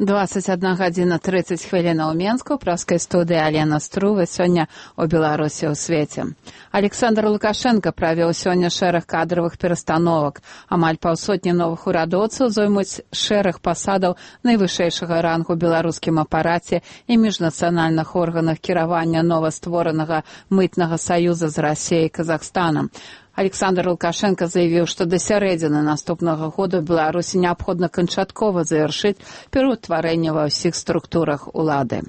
(21:30) ў Менску, ў праскай студыі Алена Струва. Сёння у Беларусі ў свеце. Александр Лукашенко правёў сёння шэраг кадравых перастановак. Амаль паўсотні новых урадоўцаў зоймуць шэраг пасадаў найвышэйшага рангу ў беларускім апараце і міжнацыянальных органах кіравання новастворанага мытнага саюза з Расіяй і Казахстанам. Александр Лукашенко заявіў, што да сярэдзіны наступнага года ў Беларусі неабходна канчаткова завяршыць пераўтварэнне ва ўсіх структурах улады.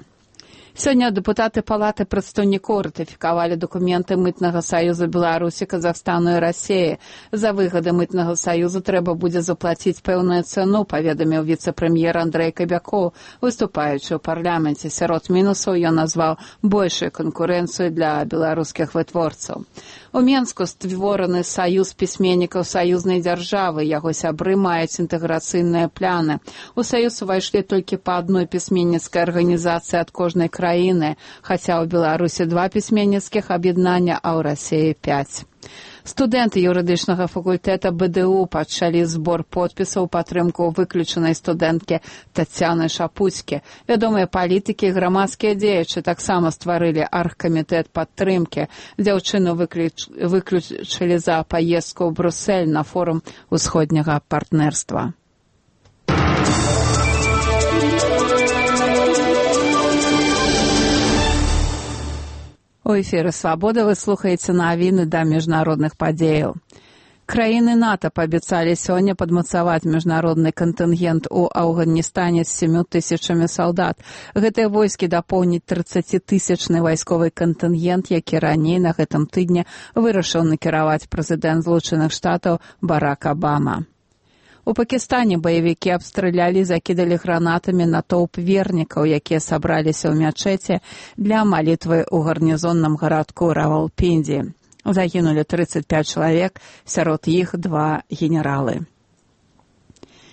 Сёння дэпутаты Палаты прадстаўнікоў ратыфікавалі дакументы мытнага саюза Беларусі, Казахстану і Расіі. За выгады мытнага саюза трэба будзе заплаціць пэўную цэну, паведаміў віцэ-прэм'ер Андрэй Кабякоў, выступаючы ў парламенце. Сярод мінусаў ён назваў большую канкурэнцыю для беларускіх вытворцаў. У Менску створаны саюз пісьменнікаў саюзнай дзяржавы. Яго сябры маюць інтэграцыйныя пляны. У саюз увайшлі толькі па адной пісьменніцкай арганізацыі ад кожнай краіны, хаця ў Беларусі 2 пісьменніцкіх аб'яднання, а ў Расіі 5. Студэнты юрыдычнага факультэта БДУ пачалі збор подпісаў у падтрымку выключанай студэнткі Тацяны Шапуцькі. Вядомыя палітыкі і грамадскія дзеячы таксама стварылі аргкамітэт падтрымкі. Дзяўчыну выключылі за паездку ў Брусэль на форум усходняга партнерства. У эфіры «Свабода» вы слухаеце навіны да міжнародных падзеяў. Краіны НАТО паабяцалі сёння падмацаваць міжнародны кантынгент у Афганістане з 7 000 салдат. Гэтыя войскі дапоўніць 30-тысячны вайсковы кантынгент, які раней на гэтым тыдні вырашыў накіраваць прэзідэнт Злучаных Штатаў Барак Абама. У Пакістане баевікі абстралялі, закідалі гранатамі натоўп вернікаў, якія сабраліся ў мячэце для малітвы ў гарнізонным гарадку Равалпінді. Загінулі 35 чалавек, сярод іх 2 генералы.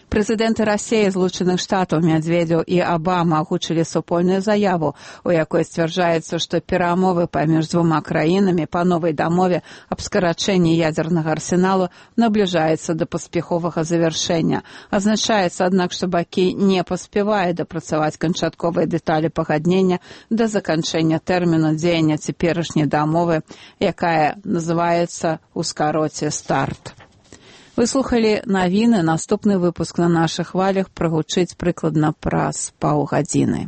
Прэзідэнты Расіі, Злучаных Штатаў, Медведзеў і Абама агучылі супольную заяву, у якой сцвярджаецца, што перамовы паміж двума краінамі па новай дамове аб скарачэнні ядзернага арсеналу набліжаецца да паспяховага завяршэння. Азначаецца, аднак, што бакі не паспяваюць дапрацаваць канчатковыя дэталі пагаднення да заканчэння тэрміну дзеяння цяперашняй дамовы, якая называецца ў скароце «Старт». Вы слухалі навіны. Наступны выпуск на нашых хвалях прагучыць прыкладна праз паўгадзіны.